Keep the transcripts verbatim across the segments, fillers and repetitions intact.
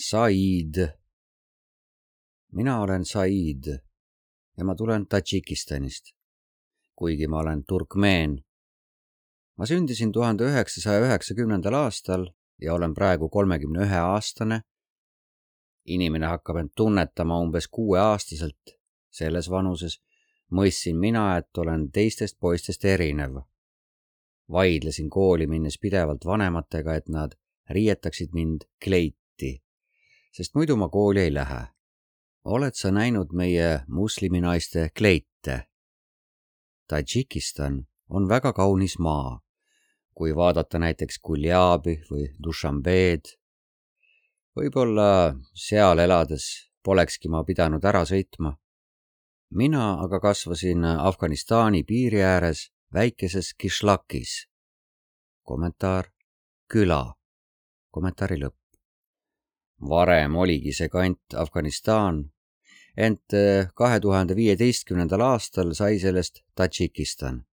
Said. Mina olen Said ja ma tulen Tadžikistanist, kuigi ma olen turkmeen. Ma sündisin tuhande üheksasaja üheksakümnendal aastal ja olen praegu kolmekümne ühe aastane. Inimene hakkab end tunnetama umbes kuueaastaselt. Selles vanuses mõistsin mina, et olen teistest poistest erinev. Vaidlesin kooli minnes pidevalt vanematega, et nad riietaksid mind kleiti, sest muidu ma kooli ei lähe. Oled sa näinud meie musliminaiste kleite? Tadžikistan on väga kaunis maa. Kui vaadata näiteks Guljabi või Dušanbeed, võib-olla seal elades polekski ma pidanud ära sõitma. Mina aga kasvasin Afganistani piiri ääres väikeses Kishlakis. Kommentaar: küla. Kommentaari lõpp. Varem oligi see kant Afganistan, ent kahe tuhande viieteistkümnendal aastal sai sellest Tadžikistan.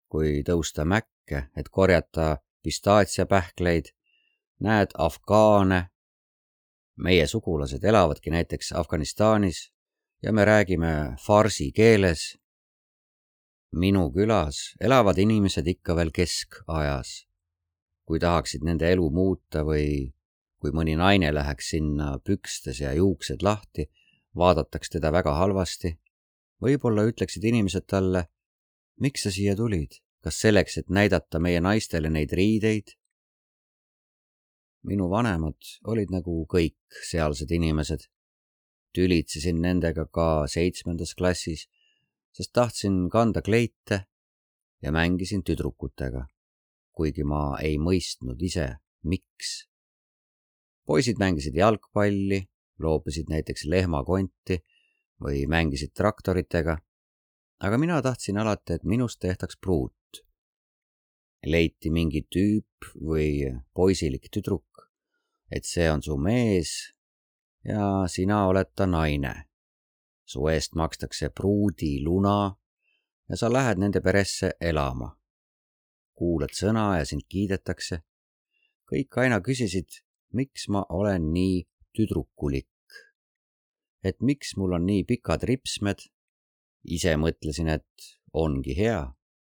Kui tõusta mäkke, et korjata pistaatsiapähkleid, näed afgaane. Meie sugulased elavadki näiteks Afganistanis ja me räägime farsi keeles. Minu külas elavad inimesed ikka veel keskajas. Kui tahaksid nende elu muuta või kui mõni naine läheks sinna pükstes ja juuksed lahti, vaadataks teda väga halvasti. Võib-olla ütleksid inimesed talle: miks sa siia tulid? Kas selleks, et näidata meie naistele neid riideid? Minu vanemad olid nagu kõik sealsed inimesed. Tülitsesin nendega ka seitsmendas klassis, sest tahtsin kanda kleite ja mängisin tüdrukutega, kuigi ma ei mõistnud ise, miks. Poisid mängisid jalgpalli, loopisid näiteks lehmakonti või mängisid traktoritega, aga mina tahtsin alati, et minust tehtaks pruut. Leiti mingi tüüp või poisilik tüdruk, et see on su mees ja sina oled ta naine. Su eest makstakse pruudi luna ja sa lähed nende peresse elama. Kuulad sõna ja sind kiidetakse. Kõik aina küsisid, miks ma olen nii tüdrukulik. Et miks mul on nii pikad ripsmed. Ise mõtlesin, et ongi hea,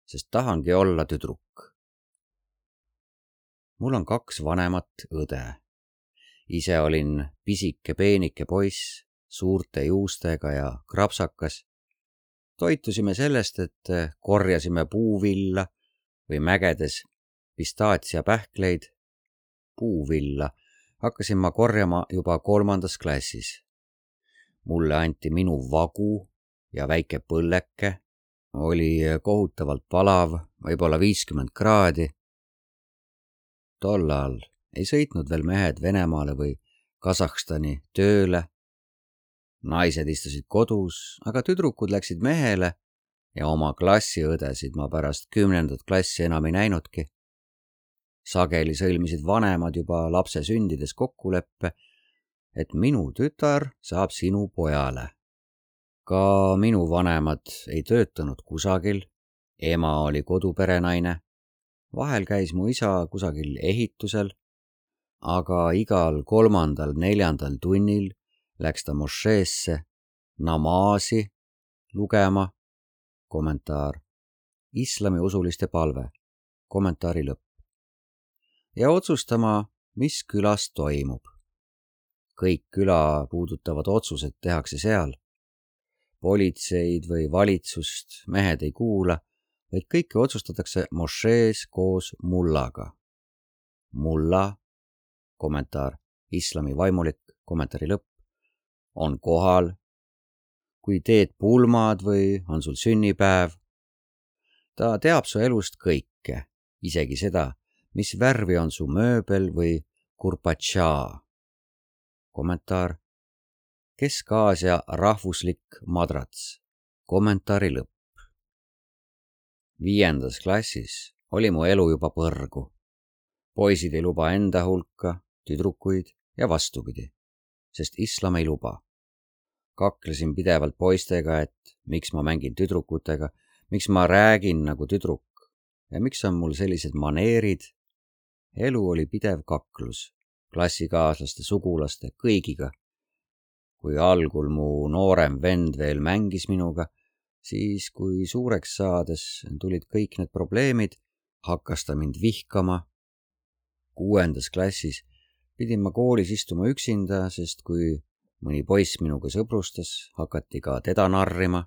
sest tahangi olla tüdruk. Mul on kaks vanemat õde. Ise olin pisike peenike poiss, suurte juustega ja krapsakas. Toitusime sellest, et korjasime puuvilla või mägedes pistaatsiapähkleid. Puuvilla hakkasin ma korjama juba kolmandas klassis. Mulle anti minu vagu ja väike põlleke. Oli kohutavalt palav, võib-olla viiskümmend kraadi. Tollal ei sõitnud veel mehed Venemaale või Kasahstani tööle. Naised istusid kodus, aga tüdrukud läksid mehele ja oma klassiõdesid ma pärast kümnendat klassi enam ei näinudki. Sageli sõlmisid vanemad juba lapse sündides kokkuleppe, et minu tütar saab sinu pojale. Ka minu vanemad ei töötanud kusagil, ema oli koduperenaine. Vahel käis mu isa kusagil ehitusel, aga igal kolmandal, neljandal tunnil läks ta mošeesse namaasi lugema. Kommentaar: islami usuliste palve. Kommentaari lõpp. Ja otsustama, mis külas toimub. Kõik küla puudutavad otsused tehakse seal. Politseid või valitsust mehed ei kuula, vaid kõike otsustatakse mošees koos mullaga. Mulla, kommentaar: islami vaimulik, kommentaari lõpp, on kohal. Kui teed pulmad või on sul sünnipäev, ta teab su elust kõike, isegi seda, mis värvi on su mööbel või kurpatšaa. Kommentaar: Kesk-Aasia rahvuslik madrats. Kommentaari lõpp. Viiendas klassis oli mu elu juba põrgu. Poisid ei luba enda hulka, tüdrukuid ja vastupidi, sest islam ei luba. Kaklesin pidevalt poistega, et miks ma mängin tüdrukutega, miks ma räägin nagu tüdruk ja miks on mul sellised maneerid. Elu oli pidev kaklus. klassikaaslaste, sugulaste, kõigiga. Kui algul mu noorem vend veel mängis minuga, siis kui suureks saades tulid kõik need probleemid, hakkas ta mind vihkama. Kuuendas klassis pidin ma koolis istuma üksinda, sest kui mõni poiss minuga sõbrustas, hakati ka teda narrima,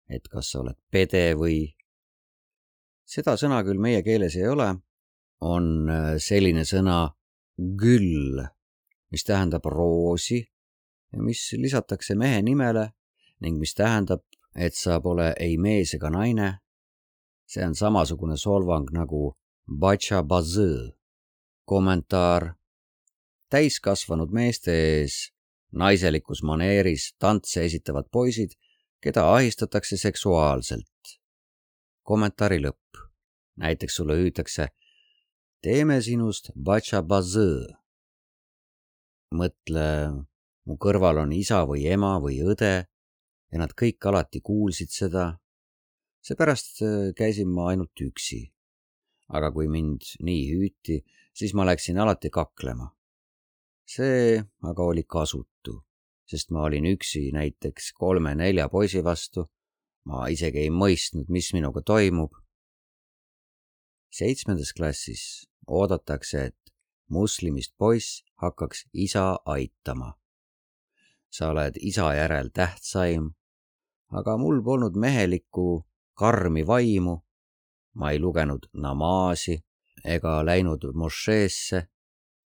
et kas sa oled pede või. Seda sõna küll meie keeles ei ole, on selline sõna güll, mis tähendab roosi ja mis lisatakse mehe nimele ning mis tähendab, et sa pole ei mees ega naine. See on samasugune solvang nagu batšabazõ. Kommentaar. Täiskasvanud meeste ees naiselikus maneeris tantse esitavad poisid, keda ahistatakse seksuaalselt. Kommentaari lõpp. Näiteks sulle hüütakse, teeme sinust batšabazõ. Mõtle, mu kõrval on isa või ema või õde ja nad kõik alati kuulsid seda. Seepärast käisin ma ainult üksi. Aga kui mind nii hüüti, siis ma läksin alati kaklema. See aga oli kasutu, sest ma olin üksi näiteks kolme-nelja poisi vastu. Ma isegi ei mõistnud, mis minuga toimub. Seitsmendas klassis oodatakse, et muslimist poiss hakkaks isa aitama. Sa oled isa järel tähtsaim, aga mul polnud mehelikku karmi vaimu. Ma ei lugenud namaasi ega läinud mošeesse.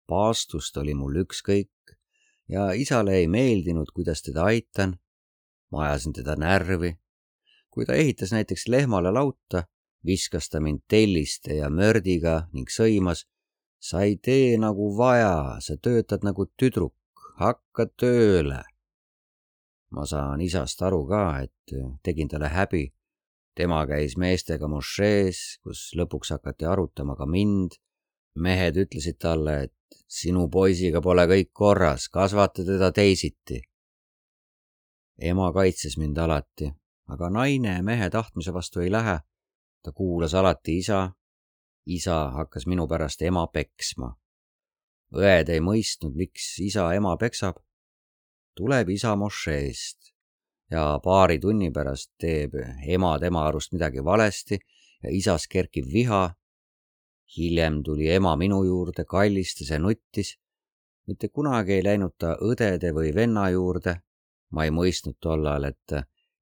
Paastust oli mul ükskõik ja isale ei meeldinud, kuidas teda aitan. Ma ajasin teda närvi. Kui ta ehitas näiteks lehmale lauta, viskas ta mind telliste ja mördiga ning sõimas. Sa ei tee nagu vaja, sa töötad nagu tüdruk, hakka tööle. Ma saan isast aru ka, et tegin talle häbi. Tema käis meestega mošees, kus lõpuks hakati arutama ka mind. Mehed ütlesid talle, et sinu poisiga pole kõik korras, kasvata teda teisiti. Ema kaitses mind alati, aga naine mehe tahtmise vastu ei lähe. Ta kuulas alati isa. Isa hakkas minu pärast ema peksma. Õed ei mõistnud, miks isa ema peksab. Tuleb isa mošeest ja paari tunni pärast teeb ema tema arust midagi valesti ja isas kerkib viha. Hiljem tuli ema minu juurde, kallistas ja nuttis. Mitte kunagi ei läinud ta õdede või venna juurde. Ma ei mõistnud tollal, et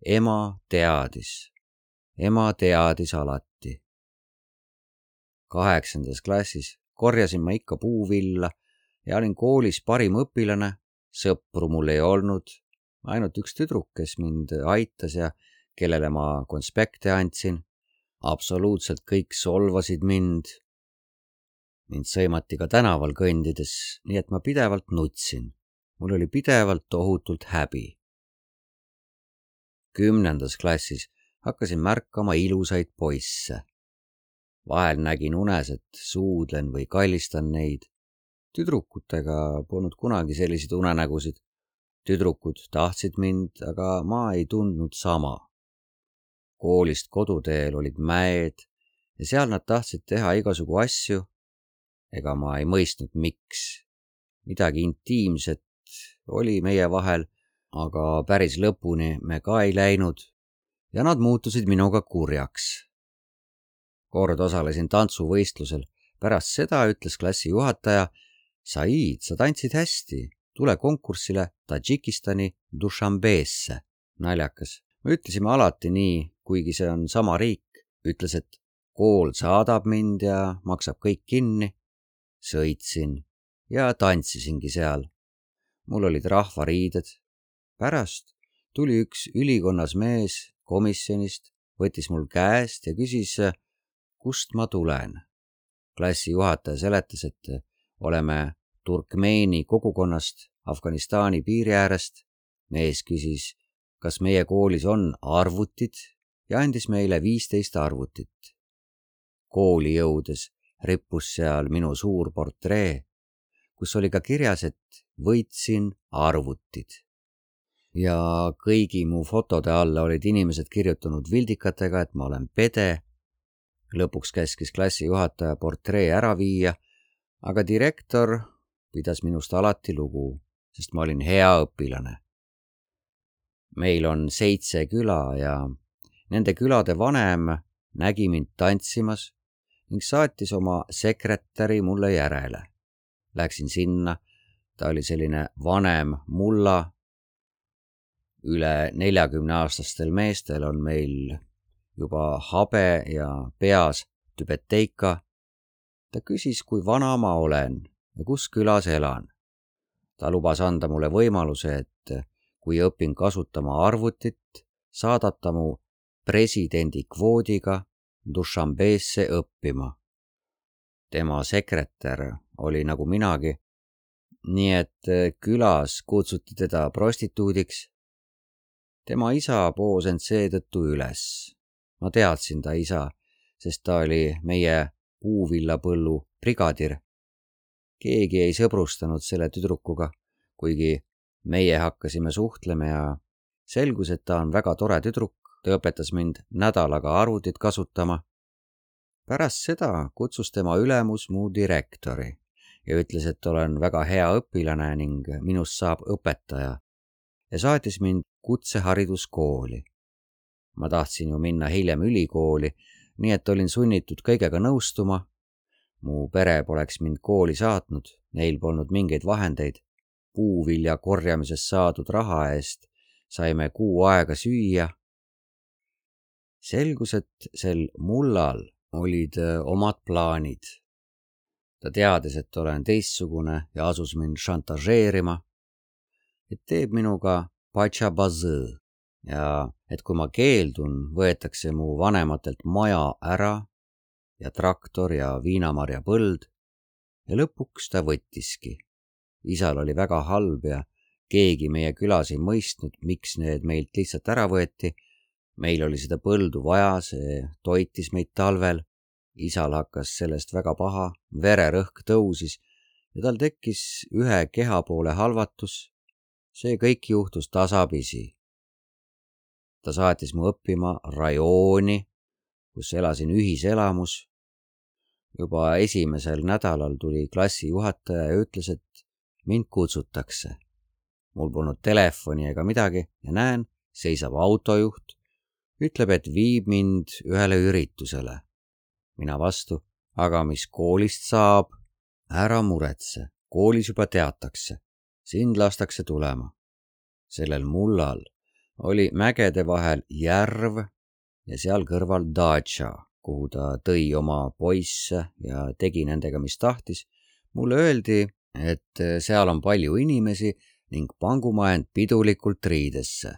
ema teadis. Ema teadis alati. Kaheksandas klassis korjasin ma ikka puuvilla ja olin koolis parim õpilane. Sõpru mul ei olnud. Ainult üks tüdruk, kes mind aitas ja kellele ma konspekte andsin. Absoluutselt kõik solvasid mind. Mind sõimati ka tänaval kõndides, nii et ma pidevalt nutsin. Mul oli pidevalt tohutult häbi. Kümnendas klassis hakkasin märkama ilusaid poisse. Vahel nägin unes, et suudlen või kallistan neid. Tüdrukutega polnud kunagi selliseid unenägusid. Tüdrukud tahtsid mind, aga ma ei tundnud sama. Koolist koduteel olid mäed ja seal nad tahtsid teha igasugu asju. Ega ma ei mõistnud, miks. Midagi intiimset oli meie vahel, aga päris lõpuni me ka ei läinud ja nad muutusid minuga kurjaks. Kord osalesin tantsuvõistlusel. Pärast seda ütles klassi juhataja, Said, sa tantsid hästi, tule konkursile Tadžikistani Dušanbeesse. Naljakas. Me ütlesime alati nii, kuigi see on sama riik. Ütles, et kool saadab mind ja maksab kõik kinni. Sõitsin ja tantsisingi seal. Mul olid rahvariided. Pärast tuli üks ülikonnas mees komisjonist, võttis mul käest ja küsis, kust ma tulen. Klassi juhataja seletas, et oleme Turkmeeni kogukonnast Afganistani piiri äärest. Mees küsis, kas meie koolis on arvutid ja andis meile viisteist arvutit. Kooli jõudes rippus seal minu suur portree, kus oli ka kirjas, et võitsin arvutid. Ja kõigi mu fotode alla olid inimesed kirjutanud vildikatega, et ma olen pede. Lõpuks käskis klassi juhataja portree ära viia, aga direktor pidas minust alati lugu, sest ma olin hea õpilane. Meil on seitse küla ja nende külade vanem nägi mind tantsimas ning saatis oma sekretäri mulle järele. Läksin sinna, ta oli selline vanem mulla. Üle neljakümne aastastel meestel on meil juba habe ja peas tübeteika. Ta küsis, kui vana ma olen ja kus külas elan. Ta lubas anda mulle võimaluse, et kui õpin kasutama arvutit, saadab ta mu presidendi kvoodiga Dušanbeesse õppima. Tema sekretär oli nagu minagi, nii et külas kutsuti teda prostituudiks. Tema isa poos end seetõttu üles. Ma teadsin ta isa, sest ta oli meie puuvillapõllu brigadir. Keegi ei sõbrustanud selle tüdrukuga, kuigi meie hakkasime suhtlema ja selgus, et ta on väga tore tüdruk. Ta õpetas mind nädalaga arvutit kasutama. Pärast seda kutsus tema ülemus mu direktori ja ütles, et olen väga hea õpilane ning minust saab õpetaja ja saatis mind kutsehariduskooli. Ma tahtsin ju minna hiljem ülikooli, nii et olin sunnitud kõigega nõustuma. Mu pere poleks mind kooli saatnud, neil polnud mingeid vahendeid. Puuvilja korjamisest saadud raha eest saime kuu aega süüa. Selgus, et sel mullal olid omad plaanid. Ta teadis, et olen teistsugune ja asus mind šantažeerima, et teeb minuga patšabazõ ja et kui ma keeldun, võetakse mu vanematelt maja ära ja traktor ja viinamarja põld ja lõpuks ta võttiski. Isal oli väga halb ja keegi meie külas ei mõistnud, miks need meilt lihtsalt ära võeti. Meil oli seda põldu vaja, see toitis meid talvel. Isal hakkas sellest väga paha, vererõhk tõusis ja tal tekkis ühe keha poole halvatus. See kõik juhtus tasapisi. Ta saatis mu õppima rajooni, kus elasin ühiselamus. Juba esimesel nädalal tuli klassijuhataja ja ütles, et mind kutsutakse. Mul polnud telefoni ega midagi ja näen, seisab autojuht, ütleb, et viib mind ühele üritusele. Mina vastu, aga mis koolist saab? Ära muretse, koolis juba teatakse, sind lastakse tulema. Sellel mullal oli mägede vahel järv ja seal kõrval datša, kuhu ta tõi oma poisse ja tegi nendega, mis tahtis. Mulle öeldi, et seal on palju inimesi ning pangu ma end pidulikult riidesse.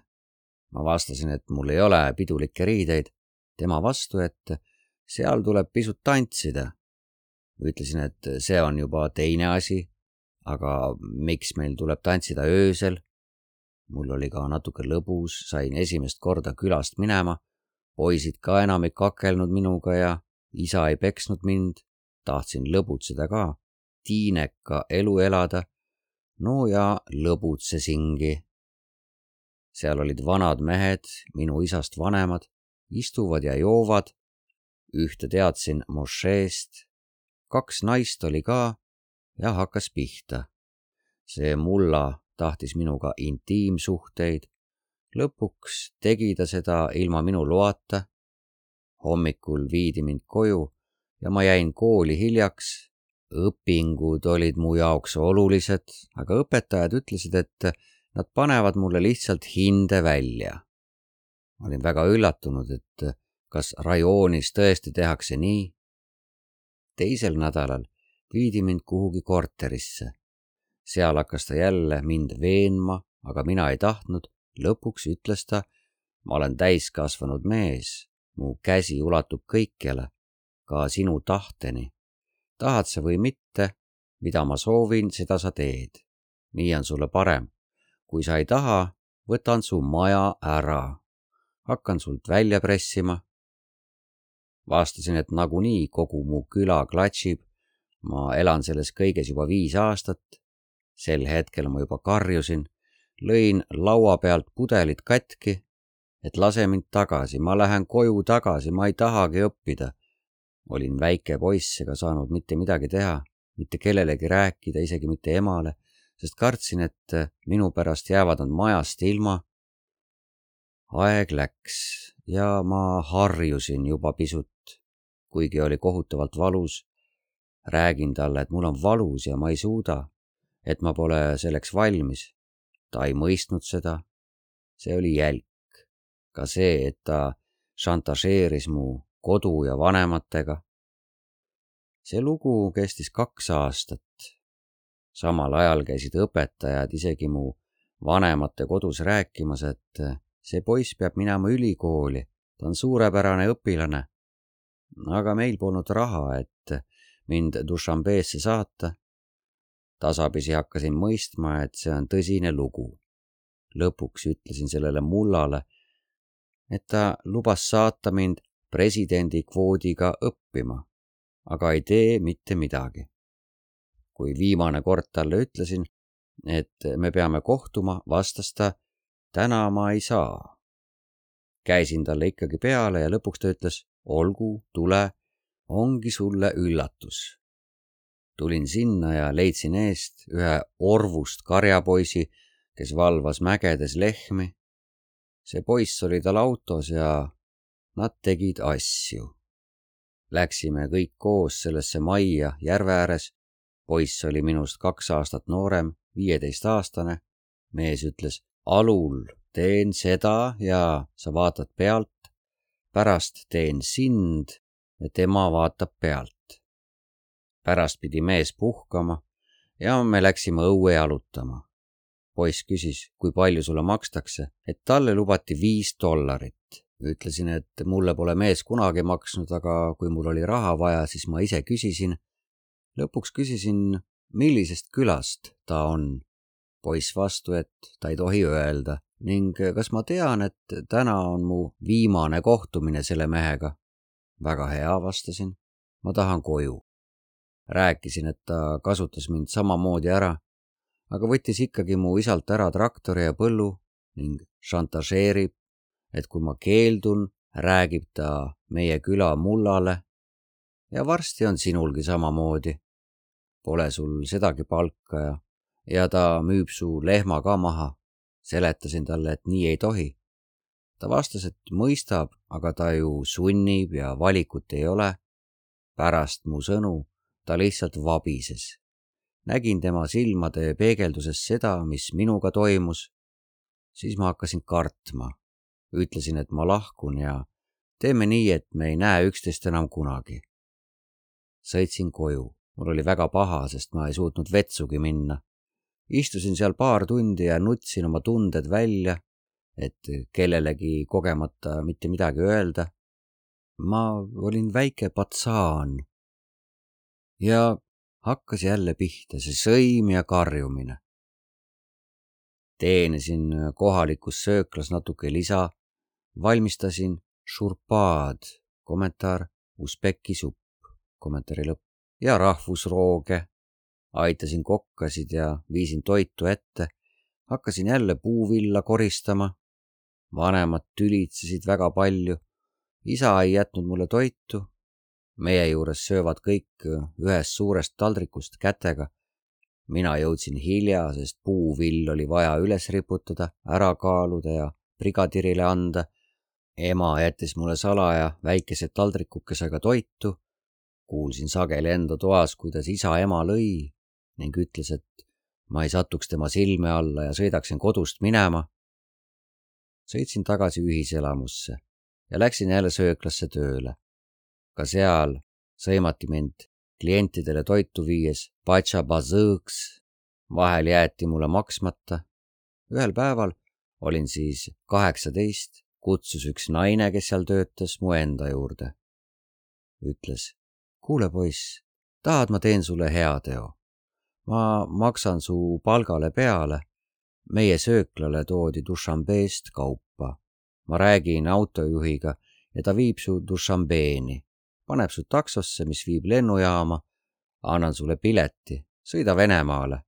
Ma vastasin, et mul ei ole pidulikke riideid. Tema vastu, et seal tuleb pisut tantsida. Ütlesin, et see on juba teine asi, aga miks meil tuleb tantsida öösel? Mul oli ka natuke lõbus, sain esimest korda külast minema. Poisid ka enam ei kakelnud minuga ja isa ei peksnud mind. Tahtsin lõbutseda ka, tiineka elu elada. No ja lõbutsesingi. Seal olid vanad mehed, minu isast vanemad, istuvad ja joovad. Ühte teadsin mošeest. Kaks naist oli ka ja hakkas pihta. See mulla tahtis minuga intiimsuhteid. Lõpuks tegi ta seda ilma minu loata. Hommikul viidi mind koju ja ma jäin kooli hiljaks. Õpingud olid mu jaoks olulised, aga õpetajad ütlesid, et nad panevad mulle lihtsalt hinde välja. Ma olin väga üllatunud, et kas rajoonis tõesti tehakse nii. Teisel nädalal viidi mind kuhugi korterisse. Seal hakkas ta jälle mind veenma, aga mina ei tahtnud. Lõpuks ütles ta, ma olen täiskasvanud mees, mu käsi ulatub kõikjale, ka sinu tahteni. Tahad sa või mitte, mida ma soovin, seda sa teed. Nii on sulle parem. Kui sa ei taha, võtan su maja ära. Hakkan sult välja pressima. Vastasin, et nagunii kogu mu küla klatsib. Ma elan selles kõiges juba viis aastat. Sel hetkel ma juba karjusin. Lõin laua pealt pudelid katki, et lase mind tagasi. Ma lähen koju tagasi, ma ei tahagi õppida. Olin väike poiss ega saanud mitte midagi teha. mitte kellelegi rääkida, isegi mitte emale, sest kartsin, et minu pärast jäävad nad majast ilma. Aeg läks ja ma harjusin juba pisut, kuigi oli kohutavalt valus. Räägin talle, et mul on valus ja ma ei suuda, et ma pole selleks valmis. Ta ei mõistnud seda. See oli jälk. Ka see, et ta šantažeeris mu kodu ja vanematega. See lugu kestis kaks aastat. Samal ajal käisid õpetajad isegi mu vanemate kodus rääkimas, et see poiss peab minema ülikooli, ta on suurepärane õpilane. Aga meil polnud raha, et mind Dušanbeesse saata. Tasapisi hakkasin mõistma, et see on tõsine lugu. Lõpuks ütlesin sellele mullale, et ta lubas saata mind presidendi kvoodiga õppima, aga ei tee mitte midagi. Kui viimane kord talle ütlesin, et me peame kohtuma, vastas ta, täna ma ei saa. Käisin talle ikkagi peale ja lõpuks ta ütles, olgu, tule, ongi sulle üllatus. Tulin sinna ja leidsin eest ühe orvust karjapoisi, kes valvas mägedes lehmi. See poiss oli tal autos ja nad tegid asju. Läksime kõik koos sellesse majja järve ääres. Poiss oli minust kaks aastat noorem, viieteistaastane. Mees ütles, alul teen seda ja sa vaatad pealt. Pärast teen sind ja tema vaatab pealt. Pärast pidi mees puhkama ja me läksime õue jalutama. Poiss küsis, kui palju sulle makstakse, et talle lubati viis dollarit. Ütlesin, et mulle pole mees kunagi maksnud, aga kui mul oli raha vaja, siis ma ise küsisin. Lõpuks küsisin, millisest külast ta on. Poiss vastu, et ta ei tohi öelda ning kas ma tean, et täna on mu viimane kohtumine selle mehega. Väga hea, vastasin. Ma tahan koju. Rääkisin, et ta kasutas mind samamoodi ära, aga võttis ikkagi mu isalt ära traktori ja põllu ning šantažeerib, et kui ma keeldun, räägib ta meie küla mullale ja varsti on sinulgi samamoodi. Pole sul sedagi palka ja, ja ta müüb su lehma ka maha. Seletasin talle, et nii ei tohi. Ta vastas, et mõistab, aga ta ju sunnib ja valikut ei ole. Pärast mu sõnu ta lihtsalt vabises. Nägin tema silmade peegelduses seda, mis minuga toimus. Siis ma hakkasin kartma. Ütlesin, et ma lahkun ja teeme nii, et me ei näe üksteist enam kunagi. Sõitsin koju. Mul oli väga paha, sest ma ei suutnud vetsugi minna. Istusin seal paar tundi ja nutsin oma tunded välja, et kellelegi kogemata mitte midagi öelda. Ma olin väike patsaan. Ja hakkas jälle pihta see sõim ja karjumine. Teenisin kohalikus sööklas natuke lisa, valmistasin šurpaad, kommentaar usbeki supp, kommentaari lõpp, ja rahvusrooge. Aitasin kokkasid ja viisin toitu ette, hakkasin jälle puuvilla koristama. Vanemad tülitsesid väga palju, isa ei jätnud mulle toitu. Meie juures söövad kõik ühest suurest taldrikust kätega. Mina jõudsin hilja, sest puuvill oli vaja üles riputada, ära kaaluda ja brigadirile anda. Ema jättis mulle salaja väikese taldrikukesega toitu. Kuulsin sageli enda toas, kuidas isa ema lõi ning ütles, et ma ei satuks tema silme alla ja sõidaksin kodust minema. Sõitsin tagasi ühiselamusse ja läksin jälle sööklasse tööle. Ka seal sõimati mind klientidele toitu viies patšabazõõks. Vahel jäeti mulle maksmata. Ühel päeval olin siis kaheksateist, kutsus üks naine, kes seal töötas, mu enda juurde. Ütles, kuule poiss, tahad ma teen sulle hea teo. Ma maksan su palgale peale. Meie sööklale toodi Dušanbeest kaupa. Ma räägin autojuhiga ja ta viib su Dušanbeeni. Paneb su taksosse, mis viib lennujaama. Annan sulle pileti. Sõida Venemaale.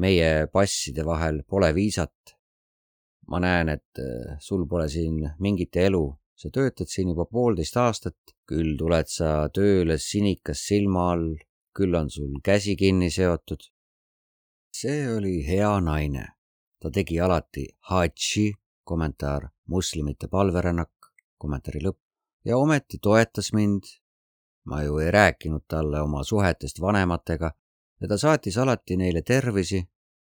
Meie passide vahel pole viisat. Ma näen, et sul pole siin mingit elu. Sa töötad siin juba poolteist aastat. Küll tuled sa tööle sinikas silma all. küll on sul käsi kinni seotud. See oli hea naine. Ta tegi alati hadži, kommentaar muslimite palverännak, kommentaari lõpp, ja ometi toetas mind. Ma ju ei rääkinud talle oma suhetest vanematega ja ta saatis alati neile tervisi,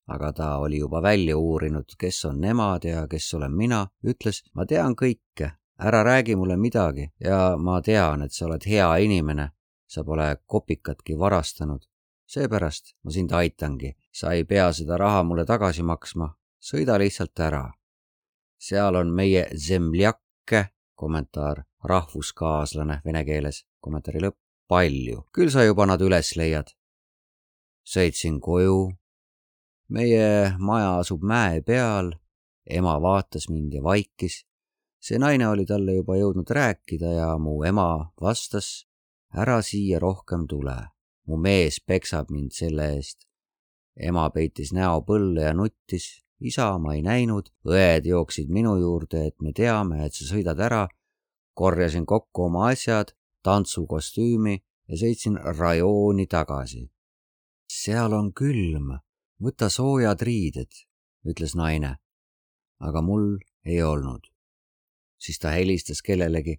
aga ta oli juba välja uurinud, kes on nemad ja kes olen mina, ütles, ma tean kõike, ära räägi mulle midagi ja ma tean, et sa oled hea inimene, sa pole kopikatki varastanud. Seepärast ma sind aitangi, sa ei pea seda raha mulle tagasi maksma, sõida lihtsalt ära. Seal on meie zemljakke, kommentaar rahvuskaaslane vene keeles, kommentaari lõpp, palju, küll sa juba nad üles leiad. Sõitsin koju, meie maja asub mäe peal, ema vaatas mind ja vaikis. See naine oli talle juba jõudnud rääkida ja mu ema vastas, ära siia rohkem tule. Mu mees peksab mind selle eest. Ema peitis näo põlle ja nuttis. Isa ma ei näinud. Õed jooksid minu juurde, et me teame, et sa sõidad ära. Korjasin kokku oma asjad, tantsukostüümi ja sõitsin rajooni tagasi. Seal on külm. Võta soojad riided, ütles naine. Aga mul ei olnud. Siis ta helistas kellelegi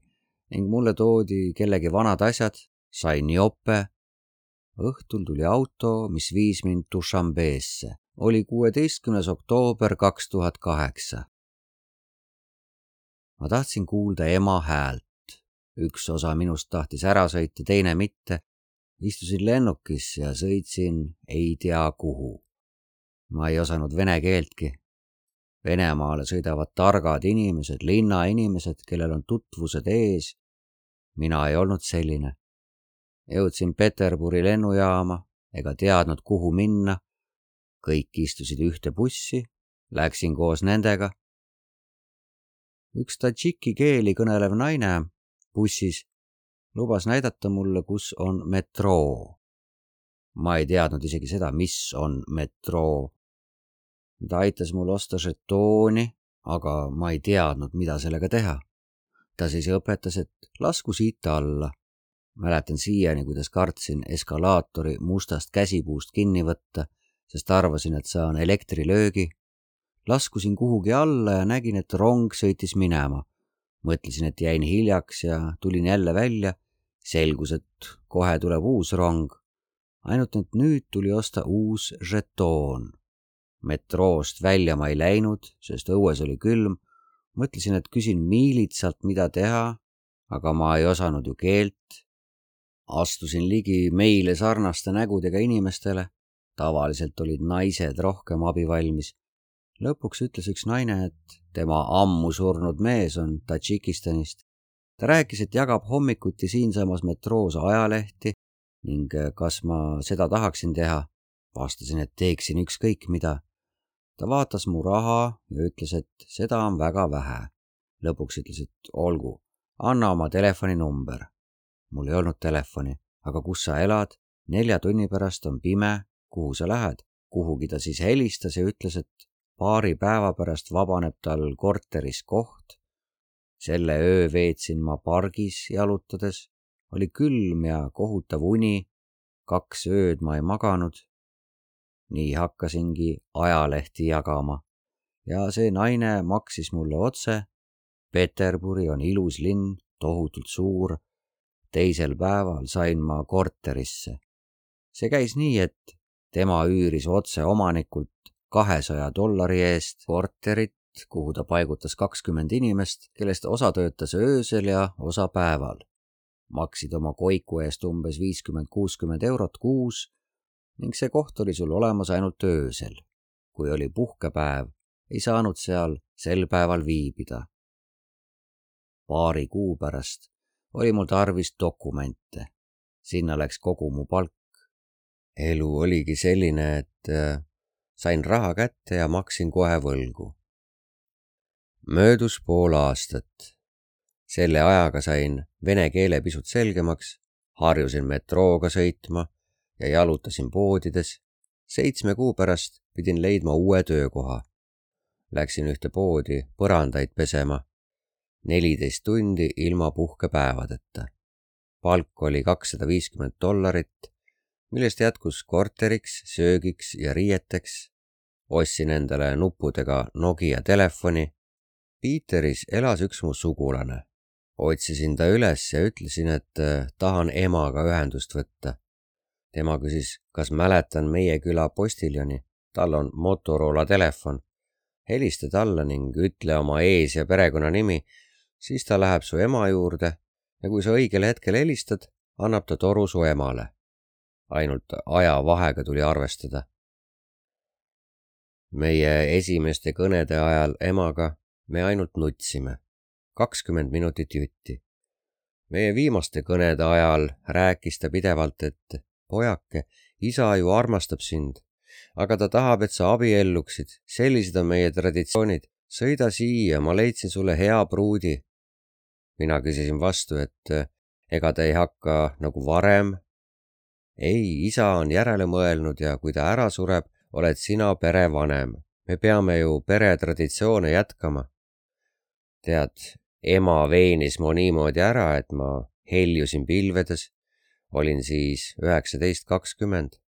ning mulle toodi kellegi vanad asjad. Sain jope. Õhtul tuli auto, mis viis mind Dušanbeesse. Oli kuueteistkümnes oktoober kaks tuhat kaheksa. Ma tahtsin kuulda ema häält. Üks osa minust tahtis ära sõita, teine mitte. Istusin lennukis ja sõitsin ei tea kuhu. Ma ei osanud vene keeltki. Venemaale sõidavad targad inimesed, linnainimesed, kellel on tutvused ees. Mina ei olnud selline. Jõudsin Peterburi lennujaama ega teadnud, kuhu minna. Kõik istusid ühte bussi, läksin koos nendega. Üks tadžiki keeli kõnelev naine bussis lubas näidata mulle, kus on metroo. Ma ei teadnud isegi seda, mis on metroo. Ta aitas mul osta žetooni, aga ma ei teadnud, mida sellega teha. Ta siis õpetas, et lasku siit alla. Mäletan siiani, kuidas kartsin eskalaatori mustast käsipuust kinni võtta, sest arvasin, et saan elektrilöögi. Laskusin kuhugi alla ja nägin, et rong sõitis minema. Mõtlesin, et jäin hiljaks ja tulin jälle välja. Selgus, et kohe tuleb uus rong. Ainult et nüüd tuli osta uus žetoon. Metroost välja ma ei läinud, sest õues oli külm. Mõtlesin, et küsin miilitsalt, mida teha, aga ma ei osanud ju keelt. Astusin ligi meile sarnaste nägudega inimestele. Tavaliselt olid naised rohkem abivalmis. Lõpuks ütles üks naine, et tema ammu surnud mees on Tadžikistanist. Ta rääkis, et jagab hommikuti siinsamas metroos ajalehti ning kas ma seda tahaksin teha. Vastasin, et teeksin ükskõik mida. Ta vaatas mu raha ja ütles, et seda on väga vähe. Lõpuks ütles, et olgu, anna oma telefoninumber. Mul ei olnud telefoni, aga kus sa elad? Nelja tunni pärast on pime, kuhu sa lähed? Kuhugi ta siis helistas ja ütles, et paari päeva pärast vabaneb tal korteris koht. Selle öö veetsin ma pargis jalutades. Oli külm ja kohutav uni. Kaks ööd ma ei maganud. Nii hakkasingi ajalehti jagama. Ja see naine maksis mulle otse. Peterburi on ilus linn, tohutult suur. Teisel päeval sain ma korterisse. See käis nii, et tema üüris otse omanikult kahesaja dollari eest korterit, kuhu ta paigutas kakskümmend inimest, kellest osa töötas öösel ja osa päeval. Maksid oma koiku eest umbes viiskümmend kuuskümmend eurot kuus ning see koht oli sul olemas ainult öösel. Kui oli puhkepäev, ei saanud seal sel päeval viibida. Paari kuu pärast oli mul tarvis dokumente. Sinna läks kogu mu palk. Elu oligi selline, et sain raha kätte ja maksin kohe võlgu. Möödus pool aastat. Selle ajaga sain vene keele pisut selgemaks, harjusin metrooga sõitma ja jalutasin poodides. Seitsme kuu pärast pidin leidma uue töökoha. Läksin ühte poodi põrandaid pesema. neliteist tundi ilma puhkepäevadeta. Palk oli kakssada viiskümmend dollarit millest jätkus korteriks, söögiks ja riieteks. Ostsin endale nuppudega Nokia telefoni. Piiteris elas üks mu sugulane. Otsisin ta üles ja ütlesin, et tahan emaga ühendust võtta. Tema küsis, kas mäletan meie küla postiljoni. Tal on Motorola telefon. Helista talle ning ütle oma ees- ja perekonnanimi, siis ta läheb su ema juurde ja kui sa õigel hetkel helistad, annab ta toru su emale. Ainult aja vahega tuli arvestada. Meie esimeste kõnede ajal emaga me ainult nutsime. kakskümmend minutit jutti. Meie viimaste kõnede ajal rääkis ta pidevalt, et pojake, isa ju armastab sind, aga ta tahab, et sa abielluksid. Sellised on meie traditsioonid. Sõida siia, ma leidsin sulle hea pruudi. Mina küsisin vastu, et ega ta ei hakka nagu varem. Ei, isa on järele mõelnud ja kui ta ära sureb, oled sina perevanem. Me peame ju peretraditsioone jätkama. Tead, ema veenis mu niimoodi ära, et ma heljusin pilvedes. Olin siis üheksateist kakskümmend.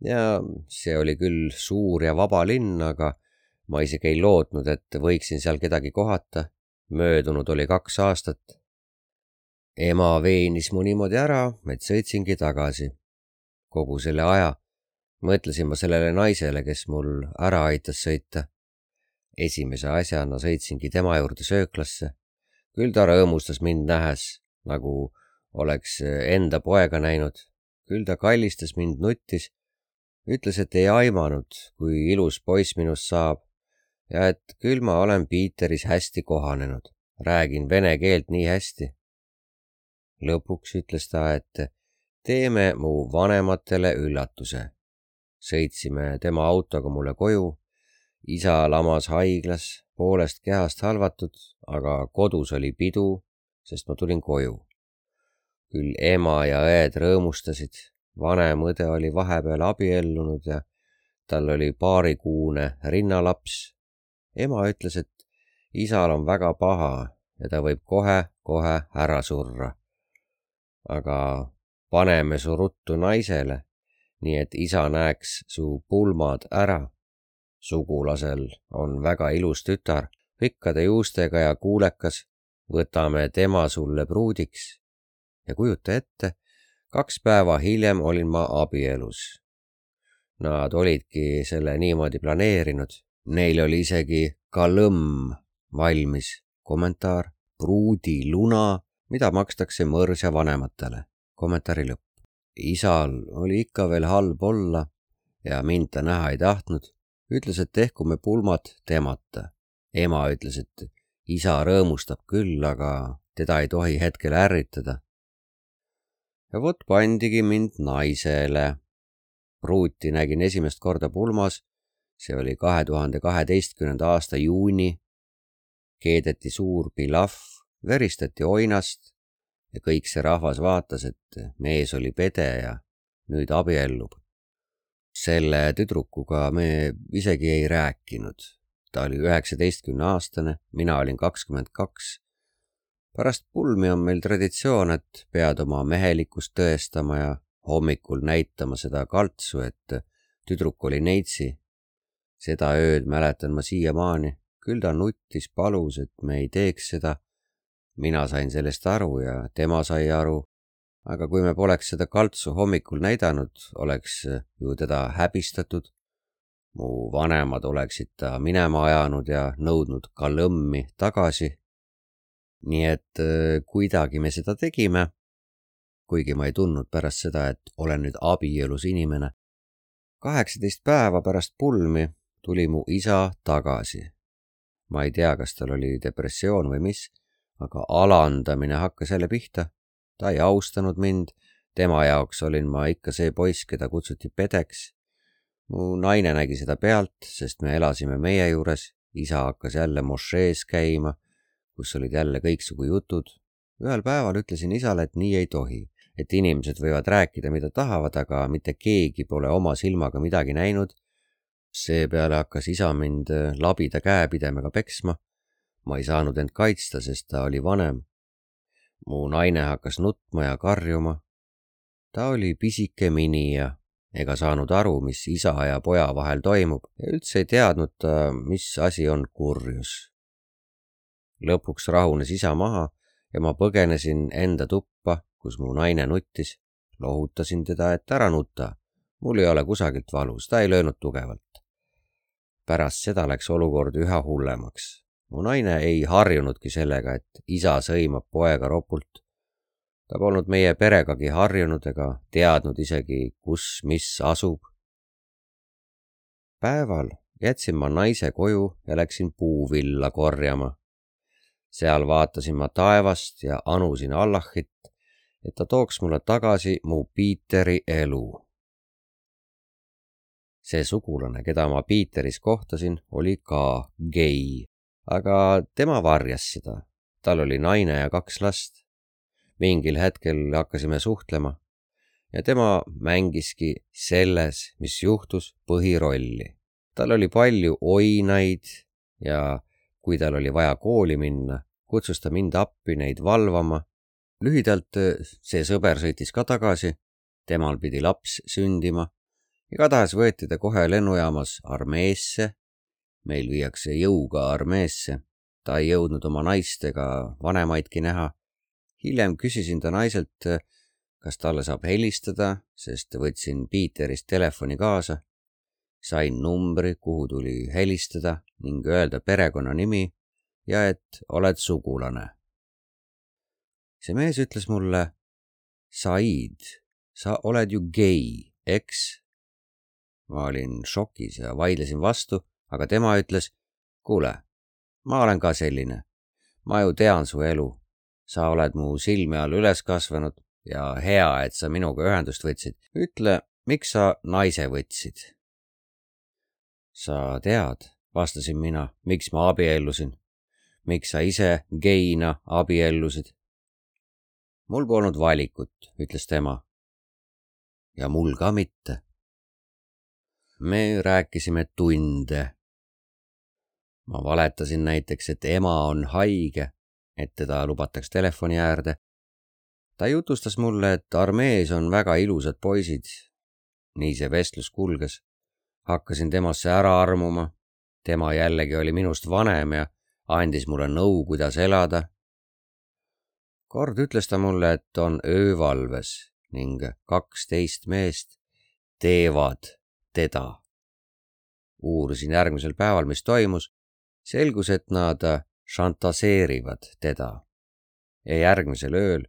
Ja see oli küll suur ja vaba linn, aga ma isegi ei lootnud, et võiksin seal kedagi kohata. Möödunud oli kaks aastat. Ema veenis mu niimoodi ära, et sõitsingi tagasi. Kogu selle aja mõtlesin ma sellele naisele, kes mul ära aitas sõita. Esimese asjana sõitsingi tema juurde sööklasse. Küll ta rõõmustas mind nähes, nagu oleks enda poega näinud. Küll ta kallistas mind, nuttis. Ütles, et ei aimanud, kui ilus poiss minust saab ja et küll ma olen Piiteris hästi kohanenud. Räägin vene keelt nii hästi. Lõpuks ütles ta, et teeme mu vanematele üllatuse. Sõitsime tema autoga mulle koju. Isa lamas haiglas, poolest kehast halvatud, aga kodus oli pidu, sest ma tulin koju. Küll ema ja õed rõõmustasid. Vanem õde oli vahepeal abiellunud ja tal oli paarikuune rinnalaps. Ema ütles, et isal on väga paha ja ta võib kohe-kohe ära surra. Aga paneme su ruttu naisele, nii et isa näeks su pulmad ära. Sugulasel on väga ilus tütar, pikkade juustega ja kuulekas. Võtame tema sulle pruudiks. Ja kujuta ette, kaks päeva hiljem olin ma abielus. Nad olidki selle niimoodi planeerinud. Neil oli isegi kalõmm valmis. Kommentaar: pruudi luna, mida makstakse mõrsja vanematele. Kommentaari lõpp. Isal oli ikka veel halb olla ja mind ta näha ei tahtnud. Ütles, et tehkume pulmad temata. Ema ütles, et isa rõõmustab küll, aga teda ei tohi hetkel ärritada. Ja vot pandigi mind naisele. Pruuti nägin esimest korda pulmas. See oli kahe tuhande kaheteistkümnenda aasta juuni. Keedeti suur pilaf, veristati oinast ja kõik see rahvas vaatas, et mees oli pede ja nüüd abiellub. Selle tüdrukuga me isegi ei rääkinud. Ta oli üheksateistkümne aastane, mina olin kakskümmend kaks. Pärast pulmi on meil traditsioon, et pead oma mehelikkust tõestama ja hommikul näitama seda kaltsu, et tüdruk oli neitsi. Seda ööd mäletan ma siiamaani. Küll ta nuttis, palus, et me ei teeks seda. Mina sain sellest aru ja tema sai aru. Aga kui me poleks seda kaltsu hommikul näidanud, oleks ju teda häbistatud. Mu vanemad oleksid ta minema ajanud ja nõudnud kalõmmi tagasi. Nii et kuidagi me seda tegime, kuigi ma ei tundnud pärast seda, et olen nüüd abielus inimene. kaheksateist päeva pärast pulmi tuli mu isa tagasi. Ma ei tea, kas tal oli depressioon või mis, aga alandamine hakkas jälle pihta. Ta ei austanud mind, tema jaoks olin ma ikka see poiss, keda kutsuti pedeks. Mu naine nägi seda pealt, sest me elasime meie juures. Isa hakkas jälle mošees käima, kus olid jälle kõiksugu jutud. Ühel päeval ütlesin isale, et nii ei tohi, et inimesed võivad rääkida, mida tahavad, aga mitte keegi pole oma silmaga midagi näinud. Seepeale hakkas isa mind labida käepidemega peksma. Ma ei saanud end kaitsta, sest ta oli vanem. Mu naine hakkas nutma ja karjuma. Ta oli pisike minija ega saanud aru, mis isa ja poja vahel toimub ja üldse ei teadnud ta, mis asi on kurjus. Lõpuks rahunes isa maha ja ma põgenesin enda tuppa, kus mu naine nuttis. Lohutasin teda, et ära nuta. Mul ei ole kusagilt valus, ta ei löönud tugevalt. Pärast seda läks olukord üha hullemaks. Mu naine ei harjunudki sellega, et isa sõimab poega ropult. Ta polnud meie peregagi harjunud ega teadnud isegi, kus mis asub. Päeval jätsin ma naise koju ja läksin puuvilla korjama. Seal vaatasin ma taevast ja anusin Allahit, et ta tooks mulle tagasi mu Piiteri elu. See sugulane, keda ma Piiteris kohtasin, oli ka gei, aga tema varjas seda. Tal oli naine ja kaks last. Mingil hetkel hakkasime suhtlema ja tema mängiski selles, mis juhtus, põhirolli. Tal oli palju oinaid ja kui tal oli vaja kooli minna, kutsus ta mind appi neid valvama. Lühidalt see sõber sõitis ka tagasi, temal pidi laps sündima. Igatahes võeti ta kohe lennujaamas armeesse. Meil viiakse jõuga armeesse. Ta ei jõudnud oma naist ega vanemaidki näha. Hiljem küsisin ta naiselt, kas talle saab helistada, sest võtsin Piiterist telefoni kaasa. Sain numbri, kuhu tuli helistada ning öelda perekonna nimi ja et oled sugulane. See mees ütles mulle, Said, sa oled ju gei, eks? Ma olin šokis ja vaidlesin vastu, aga tema ütles, kuule, ma olen ka selline. Ma ju tean su elu. Sa oled mu silme all üles kasvanud ja hea, et sa minuga ühendust võtsid. Ütle, miks sa naise võtsid? Sa tead, vastasin mina, miks ma abiellusin. Miks sa ise geina abiellusid? Mul polnud valikut, ütles tema. Ja mul ka mitte. Me rääkisime tunde. Ma valetasin näiteks, et ema on haige, et teda lubataks telefoni äärde. Ta jutustas mulle, et armees on väga ilusad poisid. Nii see vestlus kulges. Hakkasin temasse ära armuma. Tema jällegi oli minust vanem ja andis mulle nõu, kuidas elada. Kord ütles ta mulle, et on öövalves ning kaksteist meest teevad teda. Uurisin järgmisel päeval, mis toimus. Selgus, et nad šantaseerivad teda. Ja järgmisel ööl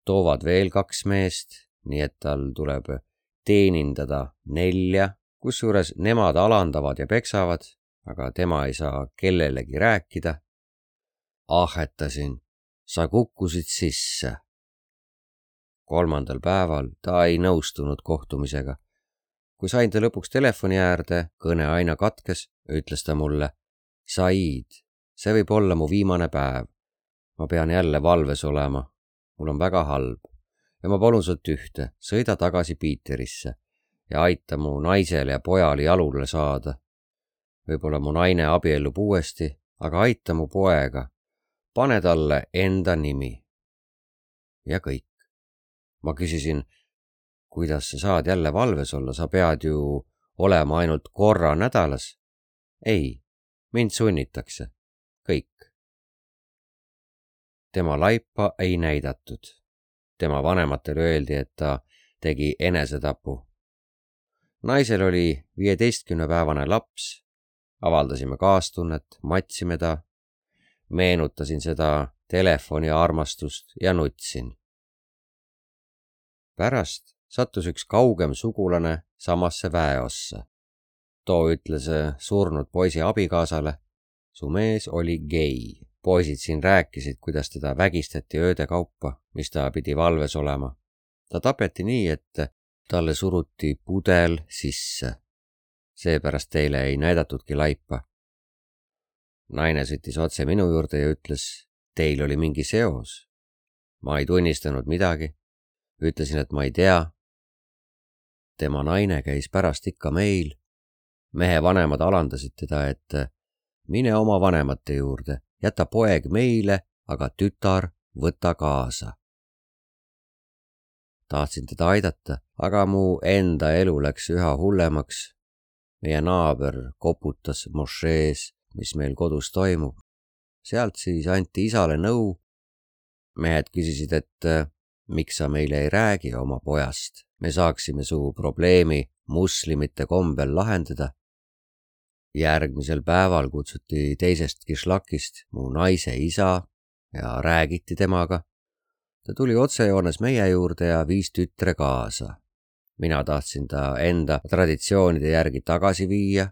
toovad veel kaks meest, nii et tal tuleb teenindada nelja, kusjuures nemad alandavad ja peksavad, aga tema ei saa kellelegi rääkida. Ahetasin, sa kukkusid sisse. Kolmandal päeval ta ei nõustunud kohtumisega. Kui sain ta lõpuks telefoni äärde, kõne aina katkes, ütles ta mulle, Said, see võib olla mu viimane päev. Ma pean jälle valves olema. Mul on väga halb. Ja ma palun sult ühte, sõida tagasi Piiterisse ja aita mu naisele ja pojale jalule saada. Võib-olla mu naine abiellub uuesti, aga aita mu poega. Pane talle enda nimi. Ja kõik. Ma küsisin, kuidas sa saad jälle valves olla, sa pead ju olema ainult korra nädalas. Ei, mind sunnitakse. Kõik. Tema laipa ei näidatud. Tema vanematele öeldi, et ta tegi enesetapu. Naisel oli viieteistkümnepäevane laps. Avaldasime kaastunnet, matsime ta. Meenutasin seda telefoni armastust ja nutsin. Pärast sattus üks kaugem sugulane samasse väeossa. Too ütles surnud poisi abikaasale, su mees oli gei. Poisid siin rääkisid, kuidas teda vägistati ööde kaupa, mis ta pidi valves olema. Ta tapeti nii, et talle suruti pudel sisse. Seepärast teile ei näidatudki laipa. Naine sõitis otse minu juurde ja ütles, teil oli mingi seos. Ma ei tunnistanud midagi. Ütlesin, et ma ei tea. Tema naine käis pärast ikka meil. Mehe vanemad alandasid teda, et mine oma vanemate juurde, jäta poeg meile, aga tütar võta kaasa. tahtsin teda aidata, aga mu enda elu läks üha hullemaks. Meie naaber koputas mošees, mis meil kodus toimub. Sealt siis anti isale nõu. Mehed küsisid, et miks sa meile ei räägi oma pojast. Me saaksime su probleemi muslimite kombel lahendada. Järgmisel päeval kutsuti teisest kišlakist mu naise isa ja räägiti temaga. Ta tuli otsejoones meie juurde ja viis tütre kaasa. Mina tahtsin ta enda traditsioonide järgi tagasi viia,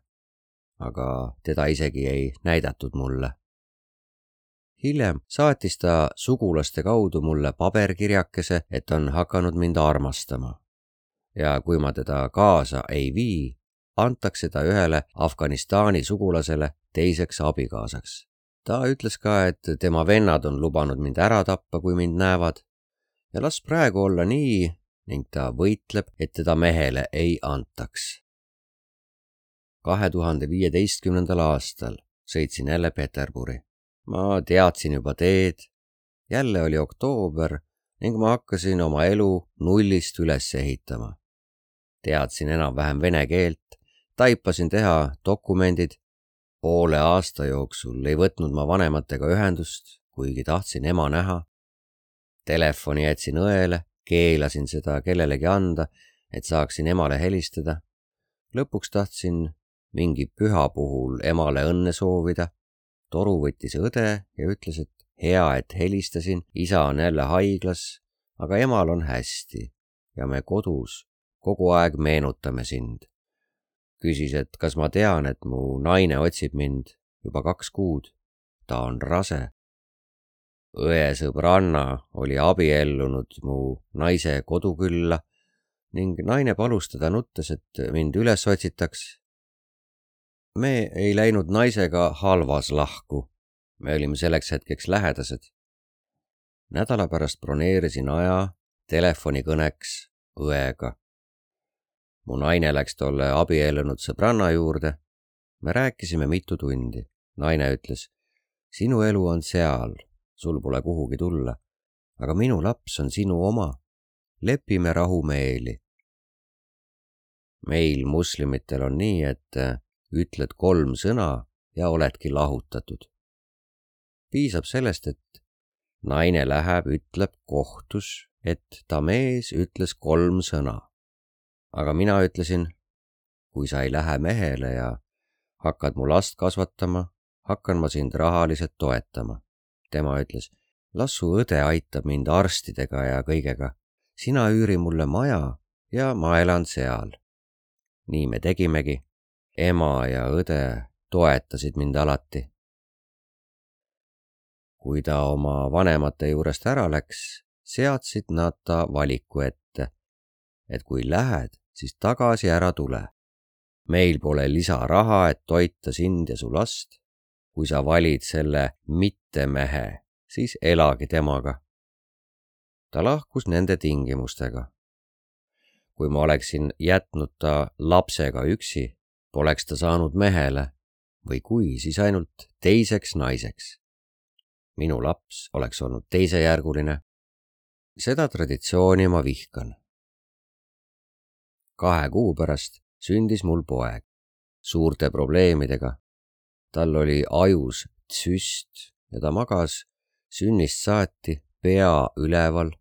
aga teda isegi ei näidatud mulle. Hiljem saatis ta sugulaste kaudu mulle paberkirjakese, et on hakanud mind armastama. Ja kui ma teda kaasa ei vii, antakse ta ühele Afganistani sugulasele teiseks abikaasaks. Ta ütles ka, et tema vennad on lubanud mind ära tappa, kui mind näevad, ja las praegu olla nii, ning ta võitleb, et teda mehele ei antaks. kahe tuhande viieteistkümnendal aastal sõitsin jälle Peterburi. Ma teadsin juba teed, jälle oli oktoober ning ma hakkasin oma elu nullist üles ehitama. Teadsin enam-vähem vene keelt, taipasin teha dokumendid. Poole aasta jooksul ei võtnud ma vanematega ühendust, kuigi tahtsin ema näha. Telefoni jätsin õele, keelasin seda kellelegi anda, et saaksin emale helistada. Lõpuks tahtsin mingi püha puhul emale õnne soovida. Toru võttis õde ja ütles, et hea, et helistasin, isa on jälle haiglas, aga emal on hästi ja me kodus kogu aeg meenutame sind. Küsis, et kas ma tean, et mu naine otsib mind juba kaks kuud. Ta on rase. Õe sõbranna oli abiellunud mu naise kodukülla ning naine palus teda nuttes, et mind üles otsitaks. Me ei läinud naisega halvas lahku. Me olime selleks hetkeks lähedased. Nädala pärast broneerisin aja telefonikõneks õega. Mu naine läks tolle abiellunud sõbranna juurde. Me rääkisime mitu tundi. Naine ütles, sinu elu on seal, sul pole kuhugi tulla, aga minu laps on sinu oma. Lepime rahumeeli. Meil muslimitel on nii, et ütled kolm sõna ja oledki lahutatud. Piisab sellest, et naine läheb, ütleb kohtus, et ta mees ütles kolm sõna. Aga mina ütlesin, kui sa ei lähe mehele ja hakkad mu last kasvatama, hakkan ma sind rahaliselt toetama. Tema ütles, las su õde aitab mind arstidega ja kõigega. Sina üüri mulle maja ja ma elan seal. Nii me tegimegi. Ema ja õde toetasid mind alati. Kui ta oma vanemate juurest ära läks, seadsid nad ta valiku ette, et kui lähed, siis tagasi ära tule. Meil pole lisaraha, et toita sind ja su last. Kui sa valid selle mitte mehe, siis elagi temaga. Ta lahkus nende tingimustega. Kui ma oleksin jätnud ta lapsega üksi, poleks ta saanud mehele või kui, siis ainult teiseks naiseks. Minu laps oleks olnud teisejärguline. Seda traditsiooni ma vihkan. Kahe kuu pärast sündis mul poeg suurte probleemidega. Tal oli ajus tsüst ja ta magas sünnist saati pea üleval.